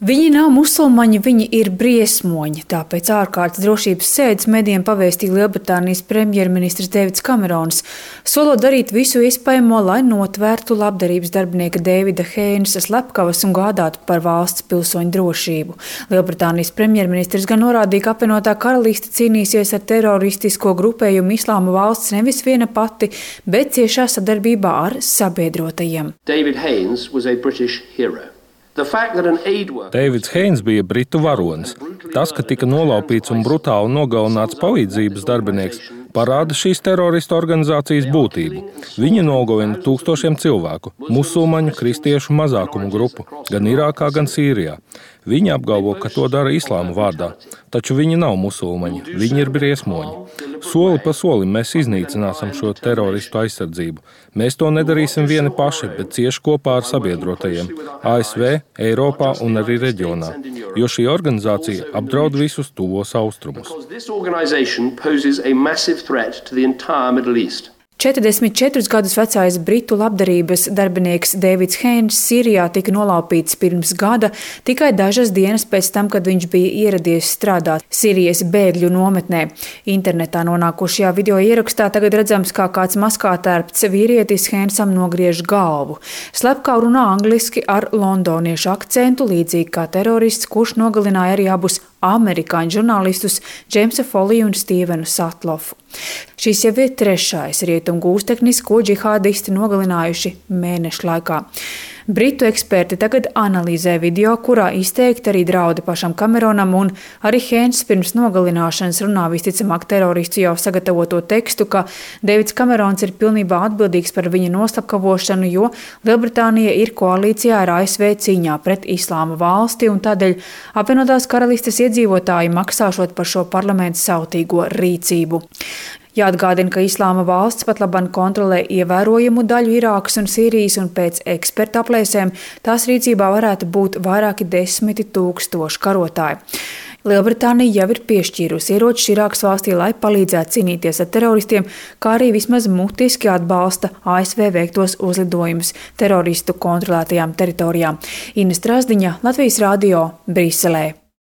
Viņi nav musulmaņi, viņi ir briesmoņi. Tāpēc ārkārtas drošības sēdes medijiem pavēstīja Lielbritānijas premjerministrs Deivids Kamerons, solot darīt visu iespējamo, lai notvērtu labdarības darbinieka Deivida Heinesa slepkavas un gādātu par valsts pilsoņu drošību. Lielbritānijas premjerministrs gan norādīja, ka apvienotā karaliste cīnīsies ar teroristisko grupējumu Islāma valsts nevis viena pati, bet ciešā sadarbībā ar sabiedrotajiem. David Haines was a British hero. Deivids Heins bija britu varonis. Tas, ka tika nolaupīts un brutāli nogalināts palīdzības darbinieks, parāda šīs teroristu organizācijas būtību. Viņi nogalina tūkstošiem cilvēku, musulmaņu, kristiešu mazākumu grupu, gan Irākā, gan Sīrijā. Viņi apgalvo, ka to dara islāma vārdā, taču viņi nav musulmaņi, viņi ir briesmoņi. Soli pa solim mēs iznīcināsim šo teroristu aizsardzību. Mēs to nedarīsim vieni paši, bet cieši kopā ar sabiedrotajiem ASV, Eiropā un arī reģionā, jo šī organizācija apdraud visus tuvos austrumus. 44 gadus vecais britu labdarības darbinieks Deivids Heins Sīrijā tika nolaupīts pirms gada, tikai dažas dienas pēc tam, kad viņš bija ieradies strādāt Sīrijas bēgļu nometnē. Internetā nonākušajā video ierakstā tagad redzams, kā kāds maskātērpts vīrietis Heinsam nogriež galvu. Slepkava runā angliski ar londoniešu akcentu, līdzīgi kā terorists, kurš nogalināja arī abus amerikāņu žurnālistus Džeimsu Foliju un Stīvenu Satlofu. Šis jau ir trešais rietumu gūsteknis, ko džihādisti nogalinājuši mēnešu laikā. Britu eksperti tagad analizē video, kurā izteikti arī draudi pašam Kameronam, un arī Heins pirms nogalināšanas runā visticamāk teroristu jau sagatavoto tekstu, ka Deivids Kamerons ir pilnībā atbildīgs par viņa noslapkavošanu, jo Lielbritānija ir koalīcijā ar ASV cīņā pret Islāma valsti, un tādēļ apvienotās karalistes iedzīvotāji maksāšot par šo parlamentu sautīgo rīcību. Jāatgādina, ka Islāma valsts pat labāk kontrolē ievērojamu daļu Irākas un Sīrijas, un pēc ekspertu aplēsēm tās rīcībā varētu būt vairāki 10 000 karotāji. Lielbritānija jau ir piešķīrusi ieročus Irākas valstī, lai palīdzētu cīnīties ar teroristiem, kā arī vismaz mutiski atbalsta ASV veiktos uzlidojumus teroristu kontrolētajām teritorijām. Ines Trasdiņa, Latvijas radio, Briselē.